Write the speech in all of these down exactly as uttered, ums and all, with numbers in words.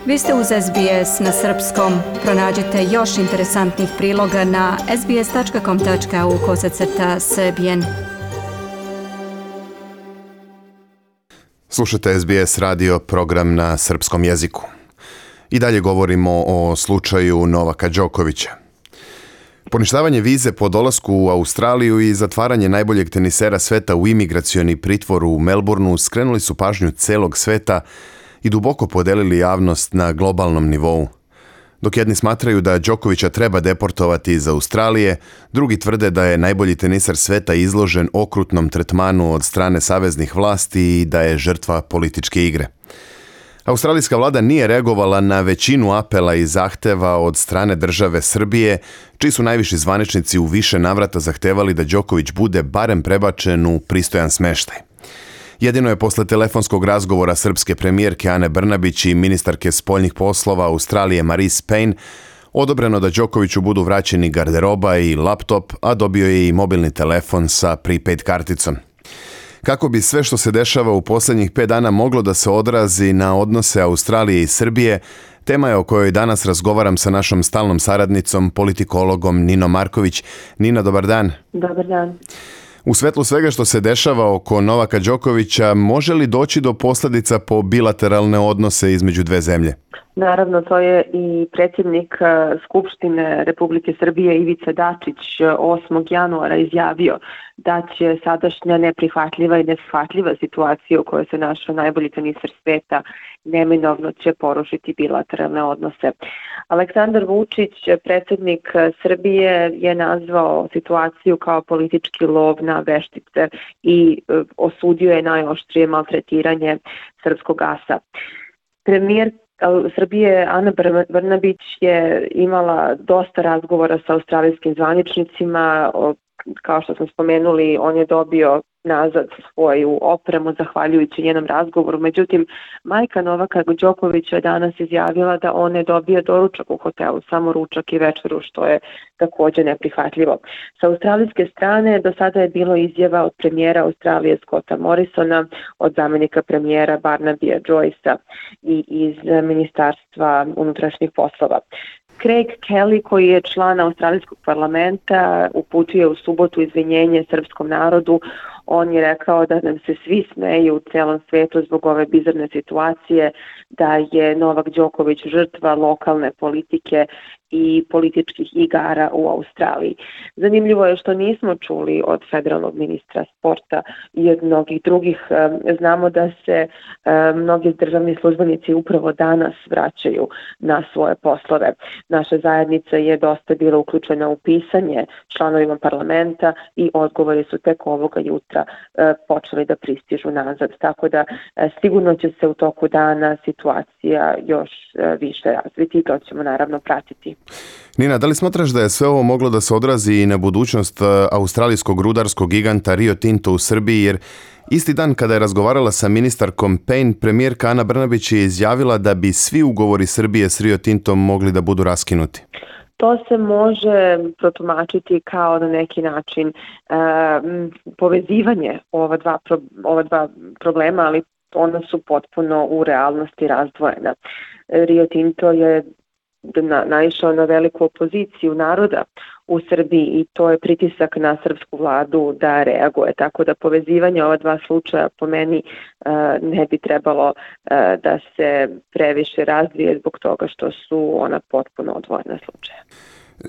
Vi ste uz S B S na srpskom. Pronađite još interesantnih priloga na sbs.com.au kosacrta srbijen. Slušate S B S radio, program na srpskom jeziku. I dalje govorimo o slučaju Novaka Đokovića. Poništavanje vize po dolasku u Australiju i zatvaranje najboljeg tenisera sveta u imigracioni pritvor u Melbourneu skrenuli su pažnju celog sveta i duboko podelili javnost na globalnom nivou. Dok jedni smatraju da Đokovića treba deportovati iz Australije, drugi tvrde da je najbolji tenisar sveta izložen okrutnom tretmanu od strane saveznih vlasti i da je žrtva političke igre. Australijska vlada nije reagovala na većinu apela i zahteva od strane države Srbije, čiji su najviši zvaničnici u više navrata zahtevali da Đoković bude barem prebačen u pristojan smeštaj. Jedino je posle telefonskog razgovora srpske premijerke Ane Brnabić i ministarke spoljnih poslova Australije Marise Payne odobreno da Đokoviću budu vraćeni garderoba i laptop, a dobio je i mobilni telefon sa prepaid karticom. Kako bi sve što se dešava u posljednjih pet dana moglo da se odrazi na odnose Australije i Srbije, tema je o kojoj danas razgovaram sa našom stalnom saradnicom, politikologom Ninom Marković. Nina, dobar dan. Dobar dan. U svetlu svega što se dešava oko Novaka Đokovića, može li doći do posljedica po bilateralne odnose između dve zemlje? Naravno, to je i predsjednik Skupštine Republike Srbije Ivica Dačić osmog januara izjavio da će sadašnja neprihvatljiva i neshvatljiva situacija u kojoj se našao najbolji tenisar sveta neminovno će porušiti bilateralne odnose. Aleksandar Vučić, predsjednik Srbije, je nazvao situaciju kao politički lov na veštice i osudio je najoštrije maltretiranje srpskog asa. Premijer Srbije Ana Brnabić je imala dosta razgovora sa australijskim zvaničnicima. Kao što smo spomenuli, on je dobio nazad svoju opremu zahvaljujući njenom razgovoru. Međutim, majka Novaka Đokovića je danas izjavila da on je dobio doručak u hotelu, samo ručak i večeru, što je također neprihvatljivo. Sa australijske strane do sada je bilo izjava od premijera Australije Scotta Morrisona, od zamjenika premijera Barnabya Joycea i iz Ministarstva unutrašnjih poslova. Craig Kelly, koji je član Australijskog parlamenta, uputio u subotu izvinjenje srpskom narodu. On je rekao da nam se svi smeju u celom svijetu zbog ove bizarne situacije, da je Novak Đoković žrtva lokalne politike i političkih igara u Australiji. Zanimljivo je što nismo čuli od federalnog ministra sporta i od mnogih drugih. Znamo da se mnogi državni službenici upravo danas vraćaju na svoje poslove. Naša zajednica je dosta bila uključena u pisanje članovima parlamenta i odgovori su tek ovoga jutra počeli da pristižu nazad. Tako da sigurno će se u toku dana situacija još više razviti i to ćemo naravno pratiti. Nina, da li smatraš da je sve ovo moglo da se odrazi i na budućnost australijskog rudarskog giganta Rio Tinto u Srbiji, jer isti dan kada je razgovarala sa ministarkom Payne, premijerka Ana Brnabić je izjavila da bi svi ugovori Srbije s Rio Tintom mogli da budu raskinuti? To se može protumačiti kao na neki način e, povezivanje ova dva, pro, ova dva problema, ali ona su potpuno u realnosti razdvojena. Rio Tinto je na, naišao na veliku opoziciju naroda u Srbiji i to je pritisak na srpsku vladu da reaguje. Tako da povezivanje ova dva slučaja po meni uh, ne bi trebalo uh, da se previše razvije zbog toga što su ona potpuno odvojena slučaja.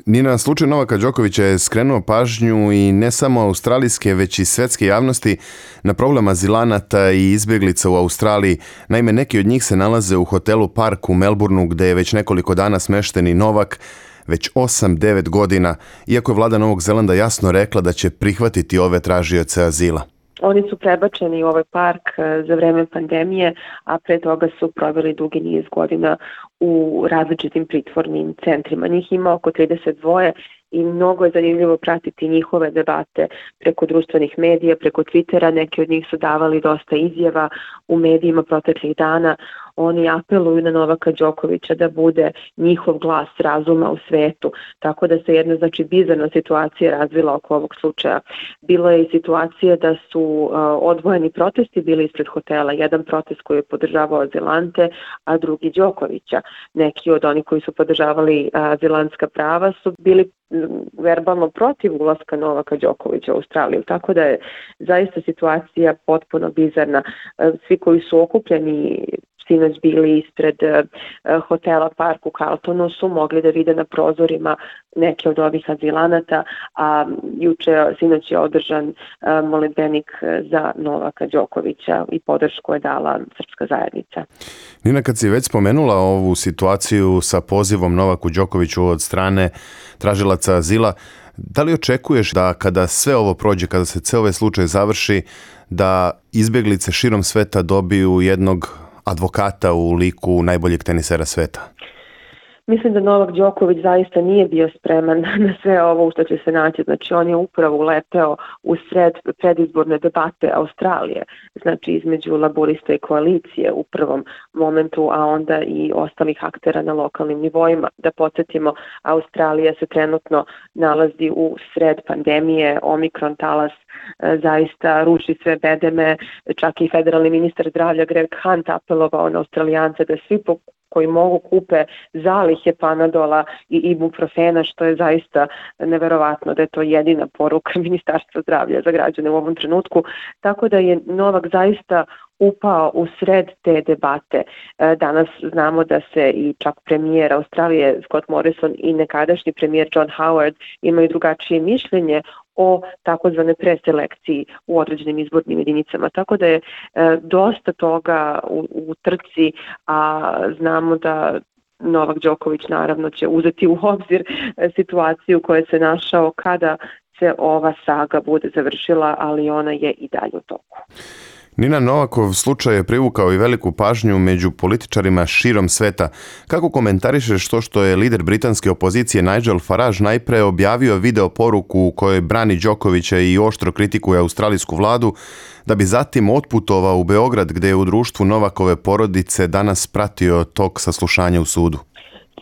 Nina, slučaj Novaka Đokovića je skrenuo pažnju i ne samo australijske, već i svetske javnosti na problem azilanata i izbjeglica u Australiji. Naime, neki od njih se nalaze u hotelu Park u Melbourneu, gde je već nekoliko dana smešten i Novak, već osam devet godina, iako je vlada Novog Zelanda jasno rekla da će prihvatiti ove tražioce azila. Oni su prebačeni u ovaj park za vreme pandemije, a pre toga su proveli dugi niz godina u različitim pritvornim centrima. Njih ima oko trideset dva i mnogo je zanimljivo pratiti njihove debate preko društvenih medija, preko Twittera. Neki od njih su davali dosta izjava u medijima proteklih dana. Oni apeluju na Novaka Đokovića da bude njihov glas razuma u svetu, tako da se jedna znači bizarna situacija razvila oko ovog slučaja. Bilo je i situacija da su uh, odvojeni protesti bili ispred hotela, jedan protest koji je podržavao azilante, a drugi Đokovića. Neki od onih koji su podržavali uh, azilantska prava su bili verbalno protiv ulaska Novaka Đokovića u Australiju, tako da je zaista situacija potpuno bizarna. Svi koji su okupljeni sinoć bili ispred uh, hotela Park u Carltonu su mogli da vide na prozorima neke od ovih azilanata, a juče sinoć je održan uh, molitbenik za Novaka Đokovića i podršku je dala srpska zajednica. Nina, kad si već spomenula ovu situaciju sa pozivom Novaku Đokoviću od strane tražilaca azila, da li očekuješ da kada sve ovo prođe, kada se ceo ovaj slučaj završi, da izbjeglice širom sveta dobiju jednog advokata u liku najboljeg tenisera sveta? Mislim da Novak Đoković zaista nije bio spreman na sve ovo u što će se naći. Znači, on je upravo uleteo u sred predizborne debate Australije, znači između laborista i koalicije u prvom momentu, a onda i ostalih aktera na lokalnim nivoima. Da podsjetimo, Australija se trenutno nalazi u sred pandemije, Omikron talas e, zaista ruši sve bedeme, čak i federalni ministar zdravlja Greg Hunt apelovao na Australijance da svi po koji mogu kupe zalihe Panadola i ibuprofena, što je zaista neverovatno da je to jedina poruka Ministarstva zdravlja za građane u ovom trenutku. Tako da je Novak zaista upao u sred te debate. Danas znamo da se i čak premijer Australije Scott Morrison i nekadašnji premijer John Howard imaju drugačije mišljenje o takozvane preselekciji u određenim izbornim jedinicama. Tako da je e, dosta toga u, u trci, a znamo da Novak Đoković naravno će uzeti u obzir e, situaciju u kojoj se našao kada se ova saga bude završila, ali ona je i dalje u toku. Nina, Novakov slučaj je privukao i veliku pažnju među političarima širom sveta. Kako komentarišeš to što je lider britanske opozicije Nigel Farage najpre objavio video poruku u kojoj brani Đokovića i oštro kritikuje australijsku vladu, da bi zatim otputovao u Beograd gdje je u društvu Novakove porodice danas pratio tok saslušanja u sudu?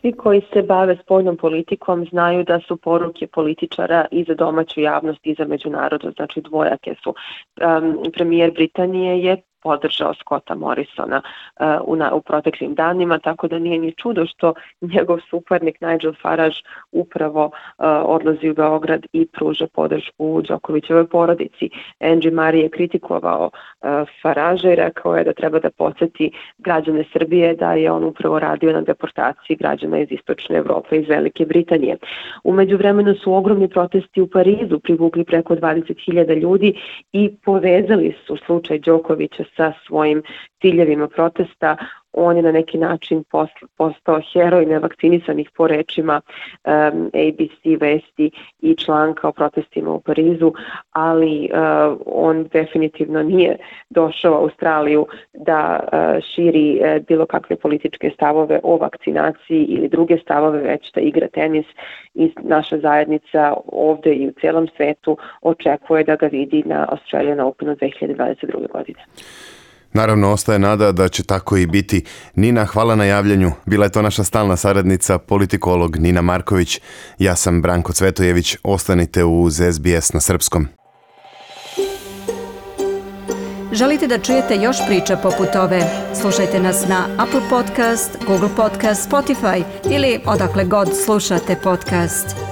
Svi koji se bave spoljnom politikom znaju da su poruke političara i za domaću javnost i za međunarodnu, znači dvojake su. Um, premijer Britanije je podržao Scotta Morrisona uh, u, na, u proteklim danima, tako da nije ni čudo što njegov suparnik Nigel Farage upravo uh, odlazi u Beograd i pruža podršku Đokovićevoj porodici. Angie Murray je kritikovao uh, Faragea i rekao je da treba da podsjeti građane Srbije da je on upravo radio na deportaciji građana iz Istočne Evrope, iz Velike Britanije. U međuvremenu su ogromni protesti u Parizu privukli preko dvadeset hiljada ljudi i povezali su slučaj Đokovića sa svojim ciljevima protesta. On je na neki način postao heroj nevakcinisanih po rečima um, A B C vesti i članka o protestima u Parizu, ali uh, on definitivno nije došao u Australiju da uh, širi uh, bilo kakve političke stavove o vakcinaciji ili druge stavove, već da igra tenis i naša zajednica ovdje i u cijelom svetu očekuje da ga vidi na Australian Openu dve hiljade dvadeset druge. godine. Naravno, ostaje nada da će tako i biti. Nina, hvala na javljanju. Bila je to naša stalna saradnica, politikolog Nina Marković. Ja sam Branko Cvetojević. Ostanite uz S B S na srpskom. Želite da čujete još priča poput ove? Slušajte nas na Apple Podcast, Google Podcast, Spotify ili odakle god slušate podcast.